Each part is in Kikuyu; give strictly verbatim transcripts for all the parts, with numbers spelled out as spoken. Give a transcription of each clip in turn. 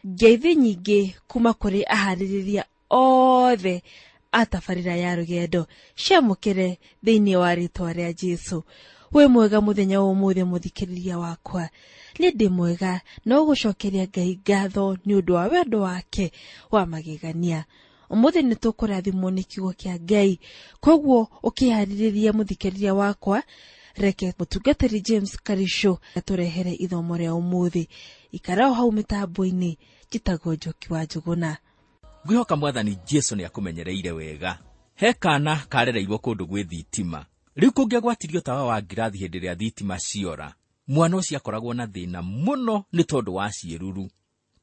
Ngeithi nyingĩ kuma kũrĩ aharĩrĩria othe a tabarĩra ya rũgendo ciamũkĩre thĩinĩ wa rĩtwa rĩa Jesũ. Wĩ mwega mũthenya wa ũmũthĩ mũthikĩrĩria wakwa. Nĩ ndĩ mwega no gũcokeria Ngai ngatho nĩ ũndũ wa wendo wake wa magegania. Ũmũthĩ nĩ tũkũrathimwo nĩ kiugo kĩa Ngai, koguo ũkĩharĩrĩria mũthikĩrĩria wakwa, reke mũtungatĩri James Karisho atũrehere ithomo rĩa ũmũthĩ. Ikara o hau mĩtambo-inĩ, njĩtagwo Njoki wa Njũgũna. Ngwĩhoka Mwathani Jesũ nĩ akũmenyereire wega. He kana karereirwo kũndũ gwĩ thitima. Rĩu kũngĩagwatirio tawa wa ngirathi hĩndĩ ĩrĩa thitima ciora, mwana ũcio akoragwo na thĩna mũno nĩ tondũ wa ciĩruru.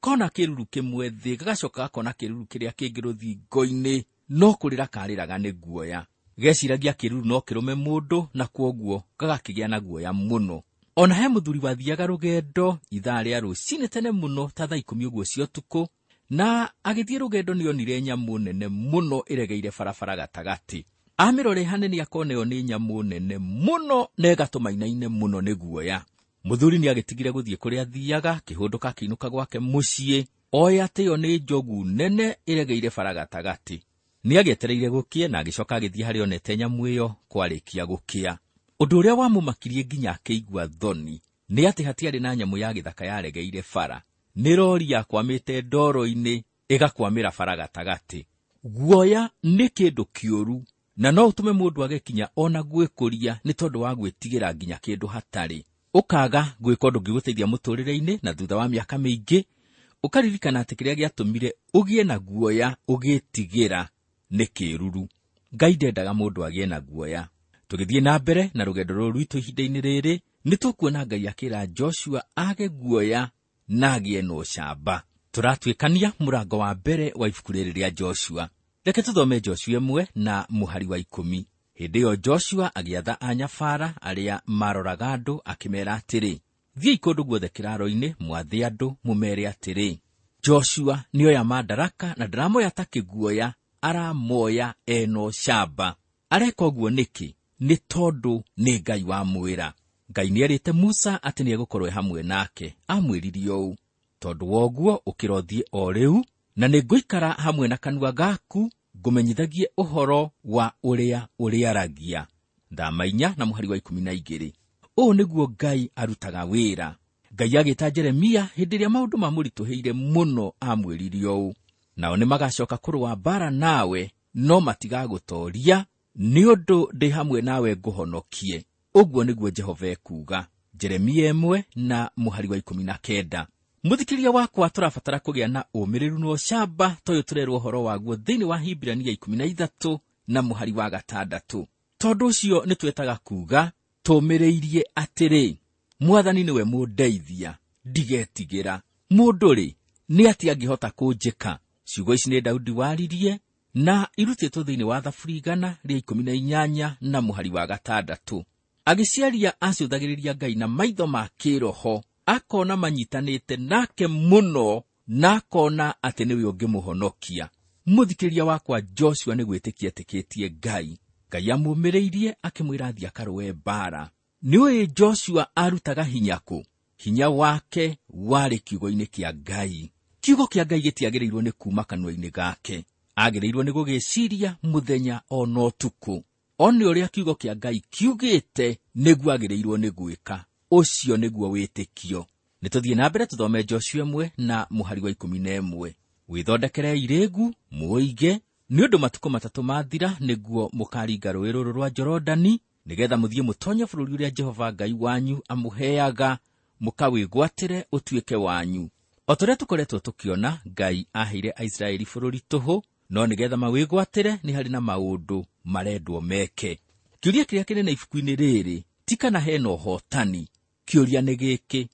Kona kĩruru kĩmwe thĩ, gagacoka gakona kĩruru kĩrĩa kĩngĩ rũthingo-inĩ, no kũrĩra karĩraga nĩ guoya. Geciragia kĩruru no kĩrũme mũndũ na kwoguo gagakĩgĩa na guoya mũno. Ona he mũthuri wathiaga rũgendo ithaa rĩa rũcinĩ tene mũno ta thaa ikũmi ũguo cia ũtukũ, na agĩthiĩ rũgendo nĩonire nyamũ nene mũno ĩregeire barabara gatagatĩ. Amĩrore hanene akona ĩyo nĩ nyamũ nene mũno na ĩgatũma ainaine mũno nĩ guoya. Mũthuri nĩagĩtigire gũthiĩ kũrĩa athiaga, akĩhũndũka akĩinũka gwake mũciĩ, oĩ atĩ ĩyo nĩ njogu nene ĩregeire bara gatagatĩ. Nĩagĩetereire gũkĩe na agĩcoka agĩthiĩ harĩa onete nyamũ ĩyo kwarĩkia gũkĩa. Ũndũ ũrĩa wamũmakirie nginya akĩigua thoni nĩ atĩ hatiarĩ na nyamũ ya gĩthaka yaregeire bara. Nĩ rori yakwamĩte ndoro-inĩ ĩgakwamĩra bara gatagatĩ. Guoya nĩ kĩndũ kĩũru na no ũtũme mũndũ age kinya ona gwĩkũria nĩ tondũ wa gwĩtigĩra nginya kĩndũ hatarĩ. Ũkaga gwĩka ũndũ ũngĩgũteithia mũtũrĩre-inĩ, na thutha wa mĩaka mĩingĩ ũkaririkana atĩ kĩrĩa gĩatũmire ũgĩe na guoya ũgĩtigĩra nĩ kĩruru. Ngai ndendaga mũndũ agĩe na guoya. Tũgĩthiĩ na mbere na rũgendo rũrũ rwitũ ihinda-inĩ rĩrĩ, nĩ tũkuona Ngai akĩra Joshua age guoya na agĩe na ũcamba. Tũratuĩkania mũrango wa mbere wa ibuku rĩrĩ rĩa Joshua. Reke tũthome Joshua ĩmwe na mũhari wa ikũmi. Hĩndĩ ĩyo Joshua agĩatha anyabara arĩa maroraga andũ akĩmeera atĩrĩ, thiĩi kũndũ guothe kĩraaro-inĩ mwathe andũ mũmeere atĩrĩ, Joshua nĩoya mandaraka na ndaramoya ta kĩguoya, aramoya ena ũcamba. Areka ũguo nĩkĩ? Nĩ tondũ nĩ Ngai wamwĩra. Ngai nĩerĩte Musa atĩ nĩegũkorwo e hamwe nake. Amwĩrire ũũ, tondũ wa ũguo ũkĩra ũthiĩ o rĩu, na nĩngũikara hamwe na kanua gaku ngũmenyithagie ũhoro wa ũrĩa ũrĩaragia. Thama inya na mũhari wa ikũmi na igĩrĩ. Ũũ nĩguo Ngai arutaga wĩra. Ngai agĩta Jeremia hĩndĩ ĩrĩa maũndũ mamũritũhĩire mũno, amwĩrire ũũ, nao nĩmagacoka kũrũa mbaara nawe, no matigagũtooria, nĩ ũndũ ndĩ hamwe nawe ngũhonokie. Ũguo nĩguo Jehova ekuuga. Jeremia ĩmwe na mũhari wa ikũmi na kenda. Mũthikĩrĩria wakwa, tũrabatara kũgĩa na ũmĩrĩru na ũcamba ta ũyũ tũrerwo ũhoro waguo thĩinĩ wa Hibirania ikũmi na ithatũ na mũhari wa gatandatũ. Tondũ ũcio nĩtwetaga kuuga tũmĩrĩirie atĩrĩ, Mwathani nĩwe mũndeithia, ndigetigĩra. Mũndũ-rĩ, nĩ atĩa angĩhota kũnjĩka? Ciugo ici nĩ Daudi waririe na irutĩtwo thĩinĩ wa Thaburi igana rĩa ikũmi na inyanya na mũhari wa gatandatũ. Agĩciaria acũthagĩrĩria Ngai na maitho ma kĩroho, akona manyitanĩte nake mũno na akona atĩ nĩwe ũngĩmũhonokia. Mũthikĩrĩria wakwa, Joshua nĩ gwĩtĩkia etĩkĩtie Ngai. Ngai amũmĩrĩirie akĩmwĩra athiĩ akarũe mbaara. Nĩũĩ Joshua arutaga hinya kũ? Hinya wake warĩ kiugo-inĩ kĩa Ngai. Kiugo kĩa Ngai gĩtiagĩrĩirwo nĩ kuma kanua-inĩ gake, agĩrĩirwo nĩ gũgĩciria mũthenya ona ũtukũ. One ũrĩa kiugo kĩa Ngai kiugĩte nĩguo agĩrĩirwo nĩ gwĩka. Ũcio nĩguo wĩtĩkio. Nĩtũthiĩ na mbere tũthome Joshua ĩmwe na mũhari wa ikũmi na ĩmwe. Wĩthondekerei rĩĩgu mũũige, nĩ ũndũ matukũ matatũ mathira nĩguo mũkaringa rũũĩ rũrũ rwa Jorodani, nĩgetha mũthiĩ mũtonye bũrũri ũrĩa Jehova Ngai wanyu amũheaga, mũkawĩgwatĩre ũtuĩke wanyu. O ta ũrĩa tũkoretwo tũkĩona, Ngai aheire Aisiraeli bũrũri tũhũ, no nĩgetha mawĩgwatĩre nĩ harĩ na maũndũ marendwo meke. Kĩũria kĩrĩa kĩnene ibuku-inĩ rĩrĩ ti kana hena ũhotani. Kĩũria nĩ gĩkĩ,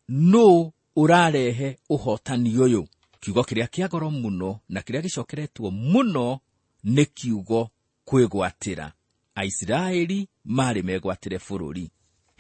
nũ ũrarehe ũhotani ũyũ? Kiugo kĩrĩa kĩa goro mũno na kĩrĩa gĩcokeretwo mũno nĩ kiugo kwĩgwatĩra. Aisiraeli marĩ megwatĩre bũrũri.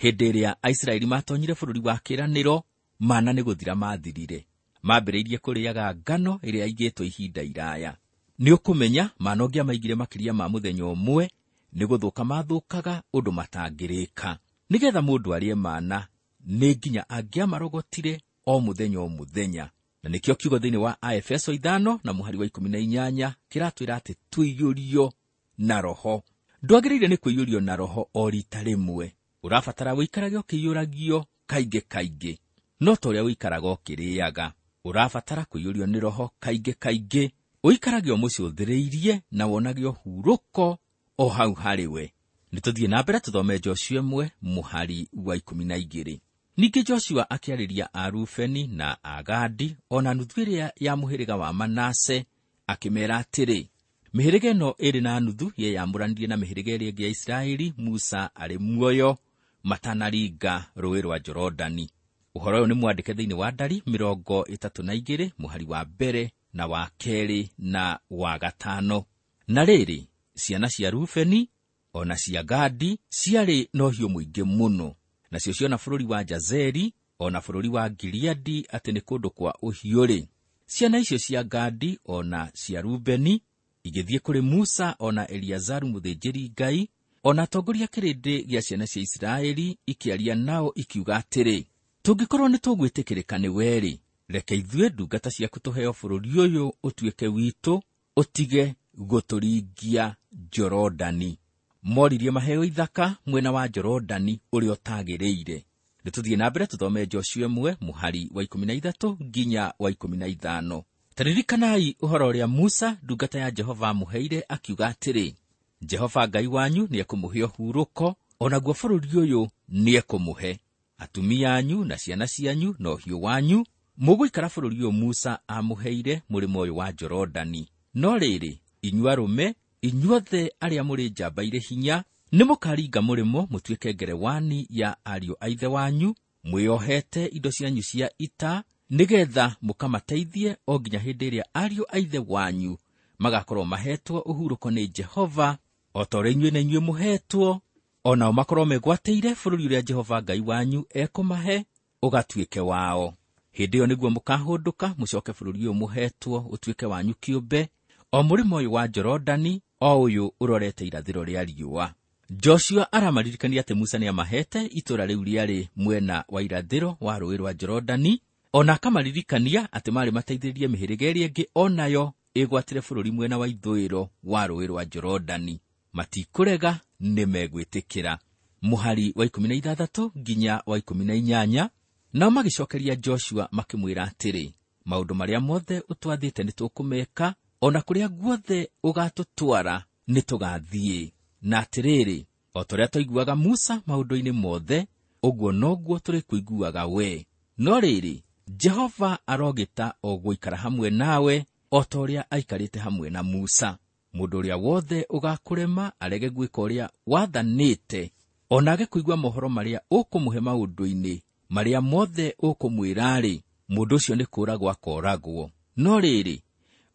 Hĩndĩ ĩrĩa Aisiraeli matonyire bũrũri wa kĩĩranĩro, mana nĩ gũthira mathirire. Mambĩrĩirie kũrĩaga ngano ĩrĩa yaigĩtwo ihinda iraya. Nĩ ũkũmenya mana ũngĩamaigire makĩria ma mũthenya ũmwe, nĩ gũthũka mathũkaga ũndũ matangĩrĩka. Nĩgetha mũndũ arĩe mana, nĩ nginya angĩamarogotire o mũthenya o mũthenya. Na nĩkĩo kiugo thĩinĩ wa Aefeso ithano na mũhari wa ikũmi na inyanya kĩratwĩra atĩ tũiyũrio na Roho. Ndwagĩrĩire nĩ kũiyũrio na Roho o rita rĩmwe, ũrabatara wĩikarage ũkĩiyũragio kaingĩ kaingĩ, no ta ũrĩa ũikaraga ũkĩrĩaga. Ũrabatara kũiyũrio nĩ Roho kaingĩ kaingĩ, ũikarage ũmũcũthĩrĩirie na wonage ũhurũko o hau harĩ we. Nĩ tũthiĩ na mbere tũthome Joshua ĩmwe mũhari wa ikũmi na igĩrĩ. Ningĩ Joshua akĩarĩria Arubeni na Agadi o na nuthu ĩrĩa ya mũhĩrĩga wa Manase akĩmeera atĩrĩ, mĩhĩrĩga ĩno ĩrĩ na nuthu yeyamũranirie na mĩhĩrĩga ĩrĩa ĩngĩ ya Isiraeli Musa arĩ muoyo matanaringa rũũĩ rwa Jorodani. Ũhoro ũyũ nĩ mwandĩke thĩinĩ wa Ndari mĩrongo ĩtatũ na igĩrĩ mũhari wa mbere na wa kerĩ na wa gatano. Na rĩrĩ, ciana cia Rubeni o na cia Gadi ciarĩ na ũhiũ mũingĩ mũno, nacio ciona bũrũri wa Jazeri o na bũrũri wa Gileadi atĩ nĩ kũndũ kwa ũhiũ-rĩ, ciana icio cia Gadi o na cia Rubeni igĩthiĩ kũrĩ Musa o na Eliazaru mũthĩnjĩri-Ngai o na atongoria kĩrĩndĩ gĩa ciana cia Isiraeli, ikĩaria nao ikiuga atĩrĩ, tũngĩkorwo nĩ tũgwĩtĩkĩrĩka nĩ we-rĩ, reke ithuĩ ndungata ciaku tũheo bũrũri ũyũ ũtuĩke witũ, ũtige gũtũringia Jorodani. Moririe maheo ithaka mwena wa Jorodani ũrĩa ũtagĩrĩire. Nĩ tũthiĩ na mbere tũthome Joshua ĩmwe mũhari wa ikũmi na ithatũ nginya wa ikũmi na ithano. Taririkanai ũhoro ũrĩa Musa ndungata ya Jehova amũheire akiuga atĩrĩ, Jehova Ngai wanyu nĩekũmũhe ũhurũko, o naguo bũrũri ũyũ nĩekũmũhe. Atumia anyu na ciana cianyu na ũhiũ wanyu mũgũikara bũrũri ũyũ Musa amũheire mũrĩmo ũyũ wa Jorodani. No rĩrĩ, inyuĩ arũme, inyuothe arĩa mũrĩ njamba irĩ hinya, nĩmũkaringa mũrĩmo mũtuĩke ngerewani ya ariũ a ithe wanyu, mwĩohete indo cianyu cia ita, nĩgetha mũkamateithie o nginya hĩndĩ ĩrĩa ariũ a ithe wanyu magakorwo mahetwo ũhurũko nĩ Jehova, o ta ũrĩa inyuĩ na inyuĩ mũhetwo, o nao makorwo megwatĩire bũrũri ũrĩa Jehova Ngai wanyu ekũmahe ũgatuĩke wao. Hĩndĩ ĩyo nĩguo mũkahũndũka mũcoke bũrũri ũyũ mũhetwo ũtuĩke wanyu kĩũmbe, o mũrĩmo ũyũ wa Jorodani, o ũyũ ũrorete irathĩro rĩa riũa. Joshua aramaririkania atĩ Musa nĩamahete itũũra rĩu rĩarĩ mwena wa irathĩro wa rũũĩ rwa Jorodani, o na akamaririkania atĩ marĩ mateithĩrĩrie mĩhĩrĩga ĩrĩa ĩngĩ o nayo ĩgwatĩre bũrũri mwena wa ithũĩro wa rũũĩ rwa Jorodani. Matikũrega, nĩmegwĩtĩkĩra. Mũhari wa ikũmi na ithathatũ nginya wa ikũmi na inyanya. Nao magĩcokeria Joshua makĩmwĩra atĩrĩ, maũndũ marĩa mothe ũtwathĩte nĩtũkũmeka, o na kũrĩa guothe ũgatũtwara nĩtũgathiĩ. Na atĩrĩrĩ, o ta ũrĩa twaiguaga Musa maũndũ-inĩ mothe, ũguo noguo tũrĩkũiguaga we. No rĩrĩ, Jehova arogĩta o gũikara hamwe nawe, o ta ũrĩa aikarĩte hamwe na Musa. Mũndũ ũrĩa wothe ũgakũrema arege gwĩka ũrĩa wathanĩte, o na age kũigua mohoro marĩa ũkũmũhe maũndũ-inĩ marĩa mothe ũkũmwĩra-rĩ, mũndũ ũcio nĩ kũũragwo akooragwo. No rĩrĩ,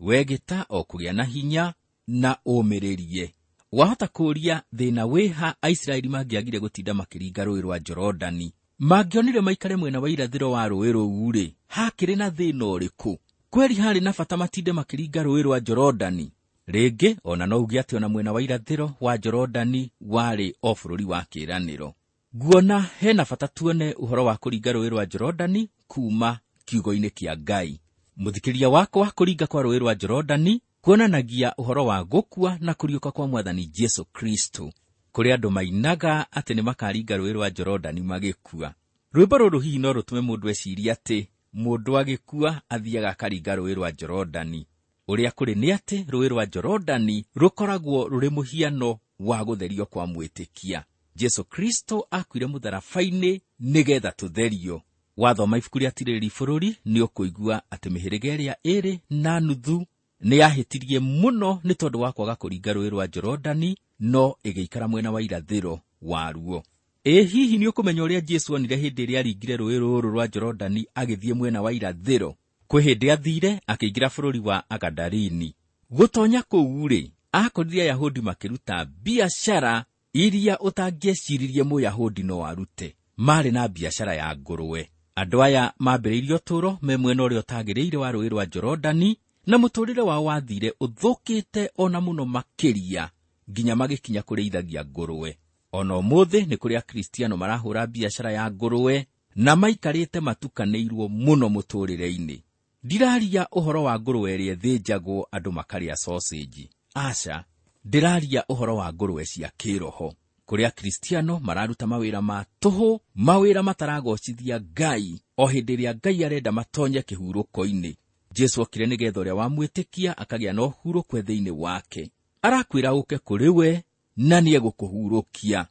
we gĩta o kũgĩa na hinya na ũmĩrĩrie. Wahota kũũria thĩna wĩha Aisiraeli mangĩagire gũtinda makĩringa rũũĩ rwa Jorodani. Mangĩonire maikare mwena wa irathĩro wa rũũĩ rũu-rĩ, hakĩrĩ na thĩna ũrĩkũ? Kweri harĩ na bata matinde makĩringa rũũĩ rwa Jorodani. Rĩngĩ ona no uge atĩ ona mwena wa irathĩro wa Jorodani warĩ o bũrũri wa kĩĩranĩro. Nguona hena bata tuone ũhoro wa kũringa rũũĩ rwa Jorodani kuma kiugo-inĩ kĩa Ngai. Mũthikĩria wakwa, kũringa kwa rũũĩ rwa Jorodani kuonanagia ũhoro wa gũkua na kũriũka kwa Mwathani Jesu Kristo. Kũrĩ andũ mainaga atĩ nĩmakaringa rũũĩ rwa Jorodani magĩkua. Rwĩmbo rũrũ hihi no rũtũme mũndũ ecirie atĩ mũndũ agĩkua athiaga akaringa rũũĩ rwa Jorodani. Ũrĩa kũrĩ nĩ atĩ rũũĩ rwa Jorodani rũkoragwo rũrĩ mũhiano wa gũtherio kwa mwĩtĩkia. Jesu Kristo akuire mũtharaba-inĩ nĩgetha tũtherio. Wathoma ibuku rĩa Tirĩrĩri Bũrũri nĩ ũkũigua atĩ mĩhĩrĩga ĩrĩa ĩrĩ na nuthu nĩ yahĩtirie mũno nĩ tondũ wa kwaga kũringa rũũĩ rwa Jorodani, no ĩgĩikara mwena wa irathĩro waruo. Ĩ hihi nĩ ũkũmenya ũrĩa Jesu onire hĩndĩ ĩrĩa aringire rũũĩ rũrũ rwa Jorodani agĩthiĩ mwena wa irathĩro? Kwĩ hĩndĩ athire akĩingĩra bũrũri wa Agadarini. Gũtonya kũu-rĩ, akorire Ayahudi makĩruta biacara iria ũtangĩeciririe Mũyahudi no arute. Marĩ na biacara ya ngũrwe. Andũ aya mambĩrĩirie ũtũũro me mwena ũrĩa ũtagĩrĩire wa rũũĩ rwa Jorodani, na mũtũũrĩre wao wathire ũthũkĩte ona mũno makĩria nginya magĩkinya kũrĩithagia ngũrwe. Ona ũmũthĩ nĩ kũrĩ Akristiano marahũra biacara ya ngũrwe na maikarĩte matukanĩirwo mũno mũtũũrĩre-inĩ. Ndiraria ũhoro wa ngũrwe ĩrĩa ĩthĩnjagwo andũ makarĩa sausage. Aca, ndĩraria ũhoro wa ngũrwe cia kĩroho, kũrĩa Kristiano mararuta mawĩra ma tũhũ, mawĩra mataragocithia Ngai, o hĩndĩ ĩrĩa Ngai arenda matonye kĩhurũko-inĩ. Jesu okire nĩgetha ũrĩa wamwĩtĩkia akagĩa na ũhurũko thĩinĩ wake. Arakwĩra ũke kũrĩ we na nĩegũkũhurũkia.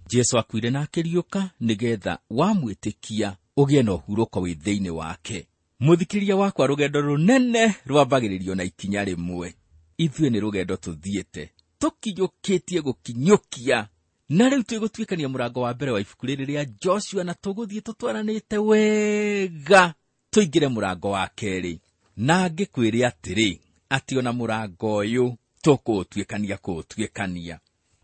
Jesu akuire na akĩriũka nĩgetha wamwĩtĩkia ũgĩe na ũhurũko wĩ thĩinĩ wake. Mũthikĩrĩria wakwa, rũgendo rũnene rwambagĩrĩrio na ikinya rĩmwe. Ithuĩ nĩ rũgendo tũthiĩte tũkinyũkĩtie gũkinyũkia, na rĩu twĩgũtuĩkania mũrango wa mbere wa ibuku rĩrĩ rĩa Joshua, na tũgũthiĩ tũtwaranĩte wega tũingĩre mũrango wa kerĩ. Na ngĩkwĩre atĩrĩ, atĩ ona mũrango ũyũ tũkũũtuĩkania kũũtuĩkania.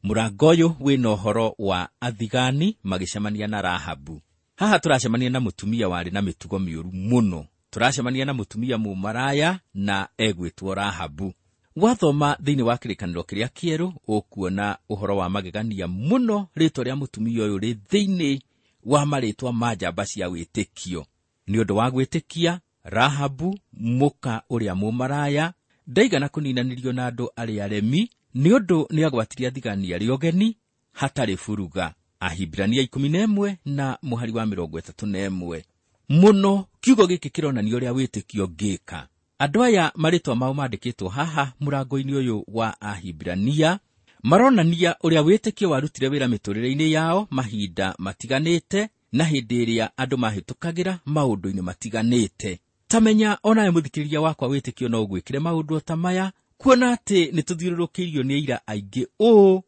Mũrango ũyũ wĩna ũhoro wa athigani magĩcemania na Rahabu. Haha tũracemania na mũtumia warĩ na mĩtugo mĩũru mũno. Tũracemania na mũtumia mũmaraya na egwĩtwo Rahabu. Wathoma thĩinĩ wa kĩrĩkanĩro kĩrĩa kĩerũ ũkuona ũhoro wa magegania mũno, rĩtwa rĩa mũtumia ũyũ rĩ thĩinĩ wa marĩtwa ma njamba cia wĩtĩkio. Nĩ ũndũ wa gwĩtĩkia, Rahabu mũka ũrĩa mũmaraya ndaigana kũninanĩrio na andũ arĩa aremi, nĩ ũndũ nĩagwatirie athigani arĩa ũgeni hatarĩ buruga. Ahibirania ikũmi na ĩmwe na mũhari wa mĩrongo ĩtatũ na ĩmwe. Mũno kiugo gĩkĩ kĩronania ũrĩa wĩtĩkio ũngĩka. Andũ aya marĩtwa mao mandĩkĩtwo haha mũrango-inĩ ũyũ wa Ahibirania maronania ũrĩa wĩtĩkio warutire wĩra mĩtũrĩre-inĩ yao mahinda matiganĩte, na hĩndĩ ĩrĩa andũ mahĩtũkagĩra maũndũ-inĩ matiganĩte. Tamenya onawe mũthikĩrĩria wakwa, wĩtĩkio no ũgwĩkĩre maũndũ ta maya, kuona atĩ nĩtũthiũrũrũkĩirio nĩ aira aingĩ ũũ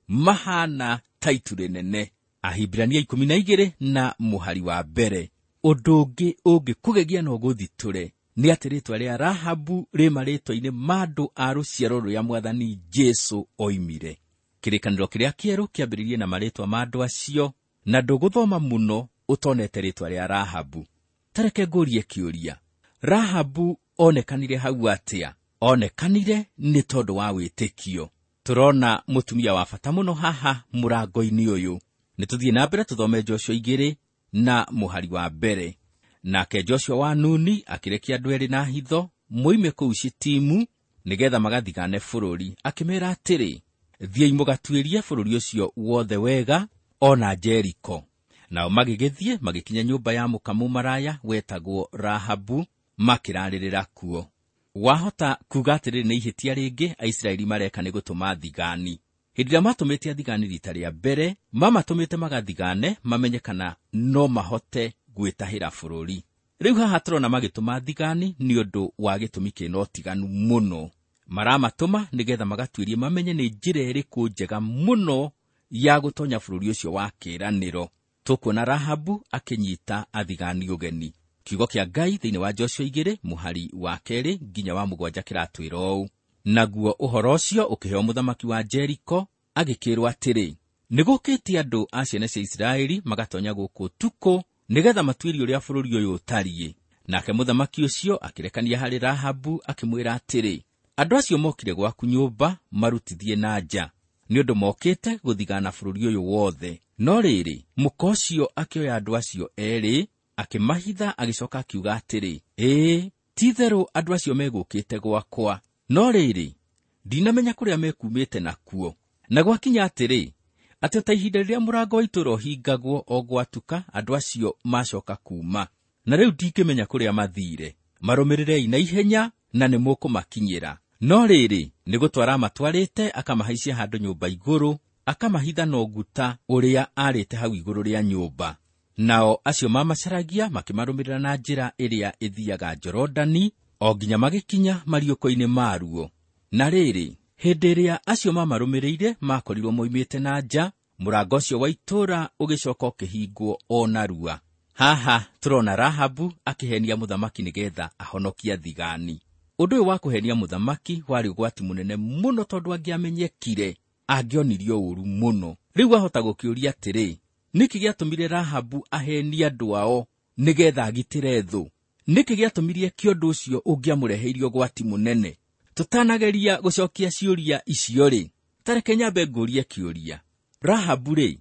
mahana ta itu rĩnene. Ahibirania ikũmi na igĩrĩ na mũhari wa mbere. Ũndũ ũngĩ ũngĩkũgegia na ũgũthitũre nĩ atĩ rĩtwa rĩa Rahabu rĩ marĩtwa-inĩ ma andũ a rũciaro rũrĩa Mwathani Jesu oimire. Kĩrĩkanĩro kĩrĩa kĩerũ kĩambĩrĩirie na marĩtwa ma andũ acio, na ndũgũthoma mũno ũtonete rĩtwa rĩa Rahabu. Ta reke ngũrie kĩũria, Rahabu onekanire hau atĩa? Onekanire nĩ tondũ wa wĩtĩkio. Tũrona mũtumia wa bata mũno haha mũrango-inĩ ũyũ. Nĩ tũthiĩ na mbere tũthome Joshua igĩrĩ na mũhari wa mbere. Nake Joshua wa Nuni akĩrekia andũ erĩ na hitho moime kũu Shitimu nĩgetha magathigane bũrũri, akĩmeera atĩrĩ, thiĩi mũgatuĩrie bũrũri ũcio wothe wega, ona Jeriko. Nao magĩgĩthiĩ magĩkinya nyũmba ya mũka mũmaraya wetagwo Rahabu, makĩrarĩrĩra kuo. Wahota kuga atĩrĩrĩ, nĩ ihĩtia rĩngĩ Aisiraeli mareka nĩ gũtũma thigani. Hĩndĩ ĩrĩa matũmĩte athigani rita rĩa mbere, mamatũmĩte magathigane mamenye kana no mahote gwĩtahĩra bũrũri. Rĩu haha tũrona magĩtũma thigani nĩ ũndũ wa gĩtũmi kĩna ũtiganu mũno. Maramatũma nĩgetha magatuĩrie mamenye nĩ njĩra ĩrĩkũ njega mũno ya gũtonya bũrũri ũcio wa kĩĩranĩro. Tũkuona Rahabu akĩnyita athigani ũgeni. Kiugo kĩa Ngai thĩinĩ wa Joshua igĩrĩ mũhari wa kerĩ nginya wa mũgwanja kĩratwĩra ũũ: naguo ũhoro ũcio ũkĩheo mũthamaki wa Jeriko, agĩkĩrwo atĩrĩ, nĩgũkĩte andũ a ciana cia Isiraeli magatonya gũkũ ũtukũ nĩgetha matuĩrie ũrĩa bũrũri ũyũ ũtariĩ. Nake mũthamaki ũcio akĩrekania harĩ Rahabu akĩmwĩra atĩrĩ, andũ acio mokire gwaku nyũmba marutithie na nja, nĩ ũndũ mokĩte gũthigana bũrũri ũyũ wothe. No rĩrĩ, mũka ũcio akĩoya andũ acio erĩ akĩmahitha, agĩcoka akiuga atĩrĩ, ĩĩ, ti-itherũ andũ acio megũkĩte gwakwa, no rĩrĩ, ndinamenya kũrĩa mekumĩte nakuo. Na gwakinya atĩrĩ, atĩ ta ihinda rĩrĩa mũrango wa itũũra ũhingagwo o gwatuka, andũ acio macoka kuuma, na rĩu ndingĩmenya kũrĩa mathiire. Marũmĩrĩrei na ihenya na nĩmũkũmakinyĩra. No rĩrĩ, nĩ gũtwara amatwarĩte akamahaicia handũ nyũmba igũrũ, akamahitha na ũguta ũrĩa aarĩte hau igũrũ rĩa nyũmba. Nao acio mamacaragia makĩmarũmĩrĩra na njĩra ĩrĩa ĩthiaga Jorodani, o nginya magĩkinya mariũko-inĩ maruo. Na rĩrĩ, hĩndĩ ĩrĩa acio mamarũmĩrĩire makorirwo moimĩte na nja, mũrango ũcio wa itũũra ũgĩcoka ũkĩhingwo o narua. Haha tũrona Rahabu akĩhenia mũthamaki nĩgetha ahonokie athigani. Ũndũ ũyũ wa kũhenia mũthamaki warĩ ũgwati mũnene mũno, tondũ angĩamenyekire angĩonirio ũũru mũno. Rĩu wahota gũkĩũria atĩrĩ, nĩkĩ gĩatũmire Rahabu ahenie andũ ao nĩgetha agitĩre thũ? Nĩkĩ gĩatũmire eke ũndũ ũcio ũngĩamũreheirie ũgwati mũnene? Tũtanageria gũcokia ciũria icio rĩ, ta reke nyambe ngũrie kĩũria. Rahabu rĩ,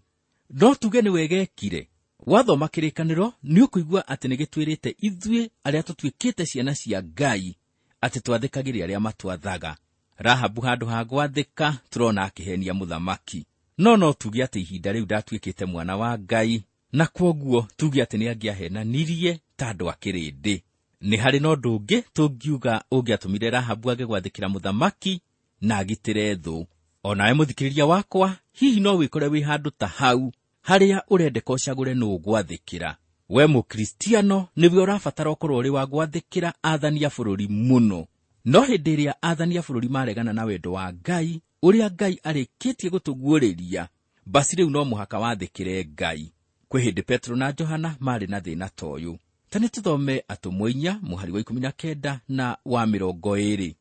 no tuge nĩ wega ekire? Wathoma kĩrĩkanĩro nĩ ũkũigua atĩ nĩ gĩtwĩrĩte ithuĩ arĩa tũtuĩkĩte ciana cia Ngai atĩ twathĩkagĩre arĩa matwathaga. Rahabu handũ ha gwathĩka tũrona akĩhenia mũthamaki. No no tuge atĩ ihinda rĩu ndatuĩkĩte mwana wa Ngai, na kwoguo tuge atĩ nĩ angĩahenanirie ta andũ a kĩrĩndĩ. Nĩ harĩ na ũndũ ũngĩ tũngiuga ũngĩatũmire Rahabu age gwathĩkĩra mũthamaki na agitĩre thũ. O nawe mũthikĩrĩria wakwa, hihi no wĩkore wĩ handũ ta hau harĩa ũrendeka ũcagũre nũ ũgwathĩkĩra. We mũkristiano nĩwe ũrabatara ũkorwo ũrĩ wa gwathĩkĩra athani a bũrũri mũno. No hĩndĩ ĩrĩa athani a bũrũri maregana na wendo wa Ngai, ũrĩa Ngai arĩkĩtie gũtũguũrĩria, basi rĩu no mũhaka wathĩkĩre Ngai. Kwĩ hĩndĩ Petro na Johana marĩ na thĩna ta ũyũ. Ta nĩ tũthome Atũmwo inya mũhari wa ikũmi na kenda na wa mĩrongo ĩĩrĩ.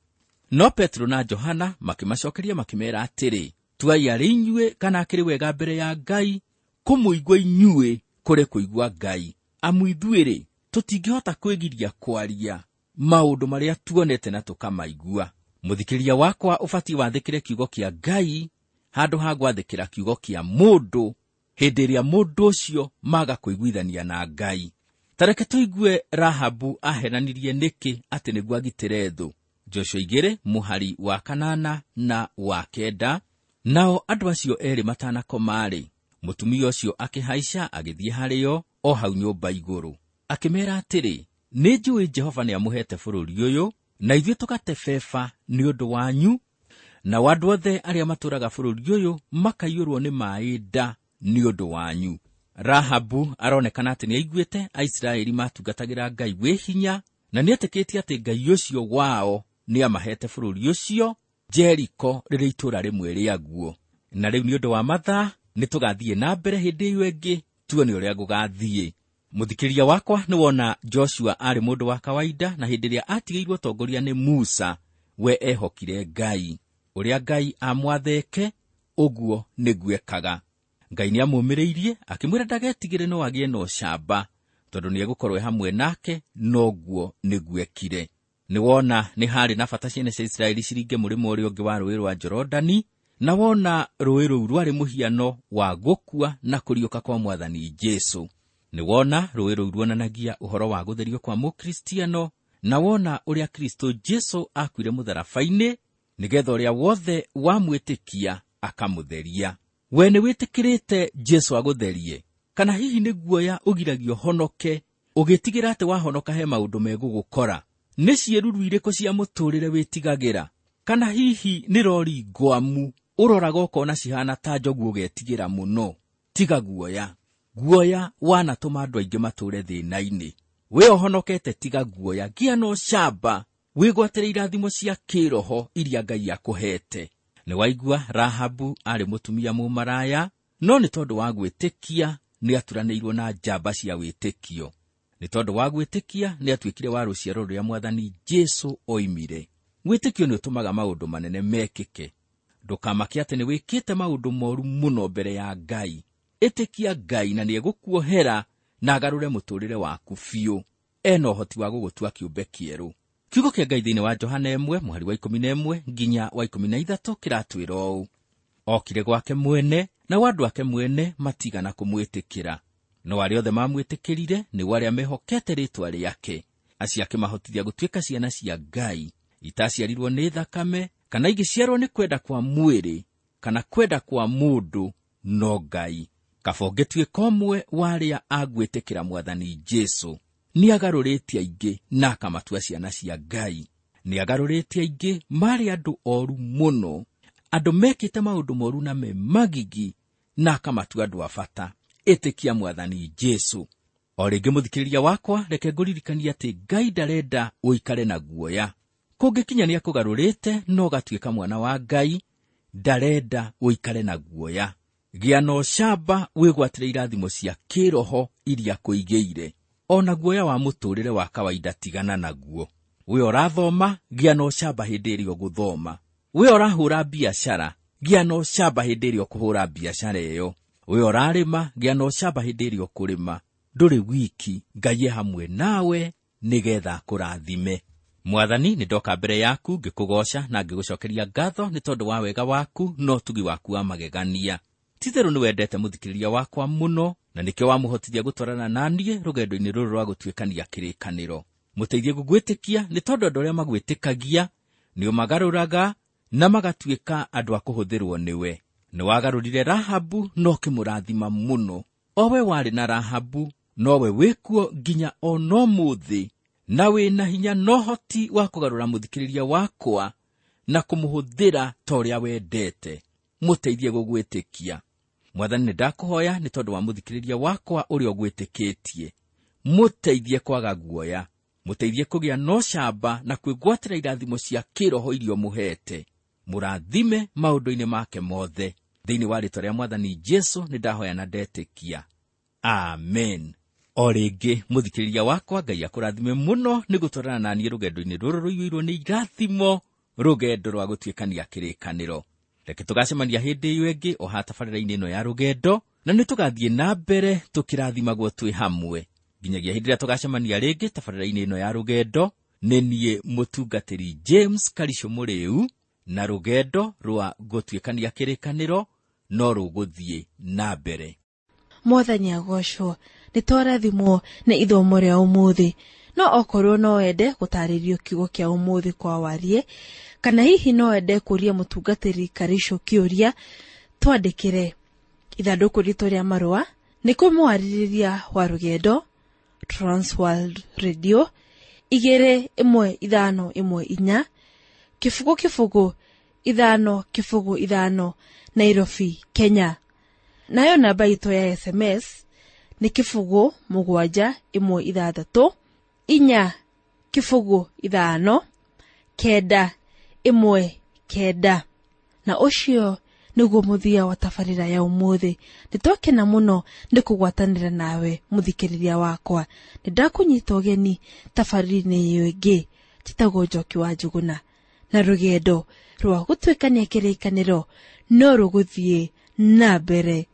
No Petro na Johana makĩmacokeria makĩmeera atĩrĩ, tuai arĩ inyuĩ kana akĩrĩ wega mbere ya Ngai kũmũigua inyuĩ kũrĩ kũigua Ngai. Amu ithuĩ-rĩ, tũtingĩhota kwĩgiria kwaria maũndũ marĩa tuonete na tũkamaigua. Mũthikĩrĩria wakwa, ũbatiĩ wathĩkĩre kiugo kĩa Ngai handũ ha gwathĩkĩra kiugo kĩa mũndũ hĩndĩ ĩrĩa mũndũ ũcio maga kũiguithania na Ngai. Ta reke tũigue Rahabu ahenanirie nĩkĩ atĩ nĩguo agitĩre thũ. Joshua igĩrĩ mũhari wa kanana na wa kenda. Nao andũ acio erĩ matanakoma-rĩ, mũtumia ũcio akĩhaica agĩthiĩ harĩo o hau nyũmba igũrũ, akĩmeera atĩrĩ, nĩ njũĩ Jehova nĩamũheete bũrũri ũyũ, na ithuĩ tũgate beba nĩ ũndũ wanyu, nao andũ othe arĩa matũũraga bũrũri ũyũ makaiyũrwo nĩ maaĩ nda nĩ ũndũ wanyu. Rahabu aronekana atĩ nĩaiguĩte Aisiraeli matungatagĩra Ngai wĩ hinya, na nĩetĩkĩtie atĩ Ngai ũcio wao nĩamaheete bũrũri ũcio, Jeriko rĩrĩ itũũra rĩmwe rĩaguo. Na rĩu nĩ ũndũ wa mathaa nĩtũgathiĩ na mbere hĩndĩ ĩyo ĩngĩ tuone ũrĩa gũgathiĩ. Mũthikĩrĩria wakwa, nĩwona Joshua arĩ mũndũ wa kawaida, na hĩndĩ ĩrĩa atigĩirwo ũtongoria nĩ Musa, we ehokire Ngai. Ũrĩa Ngai amwatheke, ũguo nĩguo ekaga. Ngai nĩamũmĩrĩirie akĩmwĩra ndagetigĩre no agĩe na ũcamba, tondũ nĩegũkorwo e hamwe nake, noguo nĩguo ekire. Nĩwona nĩ harĩ na bata ciana cia Isiraeli ciringe mũrĩmo ũrĩa ũngĩ wa rũũĩ rwa Jorodani, na wona rũũĩ rũu rwarĩ mũhiano wa gũkua na kũriũka kwa Mwathani Jesũ. Nĩwona rũũĩ rũu ruonanagia ũhoro wa gũtherio kwa mũkristiano, na wona ũrĩa Kristo Jesũ akuire mũtharaba-inĩ nĩgetha ũrĩa wothe wamwĩtĩkia akamũtheria. We nĩwĩtĩkĩrĩte Jesũ agũtherie, kana hihi nĩ guoya ũgiragio honoke ũgĩtigĩra atĩ wahonoka he maũndũ megũgũkora? Nĩ ciĩruru irĩkũ cia mũtũũrĩre wĩtigagĩra? Kana hihi nĩ rori ngwamu ũroraga ũkona cihana ta njogu ũgetigĩra mũno? Tiga guoya. Guoya wanatũma andũ aingĩ matũũre thĩna-inĩ. We ũhonokete, tiga guoya, gĩa na ũcamba, wĩgwatĩre irathimo cia kĩroho iria Ngai akũhete. Nĩwaigua Rahabu arĩ mũtumia mũmaraya, no nĩ tondũ wa gwĩtĩkia nĩaturanĩirwo na njamba cia wĩtĩkio. Nĩ tondũ wa gwĩtĩkia nĩatuĩkire wa rũciaro rũrĩa Mwathani Jesũ oimire. Wĩtĩkio nĩũtũmaga maũndũ manene mekĩke. Ndũkamake atĩ nĩwĩkĩte maũndũ moru mũno mbere ya Ngai. Ĩtĩkia Ngai na nĩegũkuohera na agarũre mũtũũrĩre waku biũ. Ena ũhoti wa gũgũtua kĩũmbe kĩerũ. Kiugo kĩa Ngai thĩinĩ wa Johana ĩmwe mũhari wa ikũmi na ĩmwe nginya wa ikũmi na ithatũ kĩratwĩra ũũ: okire gwake mwene, nao andũ ake mwene matigana kũmwĩtĩkĩra. No arĩa othe mamwĩtĩkĩrire nĩo arĩa mehokete rĩĩtwa rĩake, acio akĩmahotithia gũtuĩka ciana cia Ngai, itaciarirwo nĩ thakame, kana igĩciarwo nĩ kwenda kwa mwĩrĩ, kana kwenda kwa mũndũ, no Ngai. Kaba ũngĩtuĩka ũmwe wa arĩa a gwĩtĩkĩra Mwathani Jesũ. Nĩagarũrĩte aingĩ na akamatua ciana cia Ngai. Nĩagarũrĩte aingĩ marĩ andũ oru mũno, andũ mekĩte maũndũ moru na me magigi, na akamatua andũ a bata. Ĩtĩkia Mwathani Jesũ. O rĩngĩ mũthikĩrĩria wakwa, reke ngũririkanie atĩ Ngai ndarenda ũikare na guoya. Kũngĩkinya nĩakũgarũrĩte no ũgatuĩka mwana wa Ngai, ndarenda ũikare na guoya. Gĩa na ũcamba, wĩgwatĩre irathimo cia kĩroho iria akũigĩire. Ona guoya wa mũtũũrĩre wa kawaida tigana naguo. We ũrathoma, gĩa na ũcamba hĩndĩ ĩrĩa ũgũthoma. We ũrahũra biacara, gĩa na ũcamba hĩndĩ ĩrĩa ũkũhũra biacara ĩyo. We ũrarĩma, gĩa na ũcamba hĩndĩ ĩrĩa ũkũrĩma. Ndũrĩ wiki, Ngai e hamwe nawe nĩgetha akũrathime. Mwathani, nĩndoka mbere yaku ngĩkũgooca na ngĩgũcokeria ngatho nĩ tondũ wa wega waku na ũtugi waku wa magegania. Ti-itherũ nĩwendete mũthikĩrĩria wakwa mũno, Na nĩkĩo wamũhotithia gũtwarana na niĩ rũgendo-inĩ rũrũ rwa gũtuĩkania kĩrĩkanĩro. Mũteithie gũgwĩtĩkia nĩ tondũ andũ arĩa magwĩtĩkagia nĩ ũmagarũraga na magatuĩka andũ a kũhũthĩrwo nĩwe. Nĩ wagarũrire Rahabu na ũkĩmũrathima mũno. O we warĩ na Rahabu nowe wĩkuo nginya o no mũthĩ, na wĩna hinya na ũhoti wa kũgarũra mũthikĩrĩria wakwa na kũmũhũthĩra ta ũrĩa wendete. Mũteithie gũgwĩtĩkia. Mwathani, nĩ ndakũhoya nĩ tondũ wa mũthikĩrĩria wakwa ũrĩa ũgwĩtĩkĩtie. Mũteithie kwaga guoya, mũteithie kũgĩa na ũcamba na kwĩgwatĩra irathimo cia kĩroho iria ũmũheete. Mũrathime maũndũ-inĩ make mothe. Thĩinĩ wa rĩĩtwa rĩa Mwathani Jesũ nĩ ndahoya na ndetĩkia. Amen. O rĩngĩ mũthikĩrĩria wakwa, Ngai akũrathime mũno nĩ gũtwarana na niĩ rũgendo-inĩ rũrũ rũiyũirwo nĩ irathimo, rũgendo rwa gũtuĩkania kĩrĩkanĩro. Reke tũgacemania hĩndĩ ĩyo ĩngĩ o haha tabarĩra-inĩ ĩno ya rũgendo, na nĩ tũgathiĩ na mbere tũkĩrathimagwo twĩ hamwe nginyagia hĩndĩ ĩrĩa tũgacemania rĩngĩ tabarĩra-inĩ ĩno ya rũgendo. Nĩ niĩ mũtungatĩri James Karisho Mũrĩu, na rũgendo rwa gũtuĩkania kĩrĩkanĩro no rũgũthiĩ na mbere. Mwathani agocwo. Nĩ twarathimwo nĩ ithomo rĩa ũmũthĩ. No okorwo no wende gũtarĩrio kiugo kĩa ũmũthĩ kwa warie, kana hihi no wende kũria mũtungatĩri Karisho kĩũria, twandĩkĩre ithandũkũ ritũ rĩa marũa nĩ kũmwarĩrĩria wa rũgendo, Transworld Radio igĩrĩ ĩmwe ithano ĩmwe inya kĩbũgũ kĩbũgũ ithano kĩbũgũ ithano, Nairobi, Kenya. Nayo namba itũ ya S M S nĩ kĩbũgũ mũgwanja ĩmwe ithathatũ inya kĩbũgũ ithano kenda ĩmwe kenda. Na ũcio nĩguo mũthia wa tabarĩra ya ũmũthĩ. Nĩtwakena mũno nĩ kũgwatanĩra nawe mũthikĩrĩria wakwa. Nĩndakũnyita ũgeni tabarĩra-inĩ ĩyo ĩngĩ. Njĩtagwo Njoki wa Njũgũna, na rũgendo rwa gũtuĩkania kĩrĩkanĩro no rũgũthiĩ na mbere.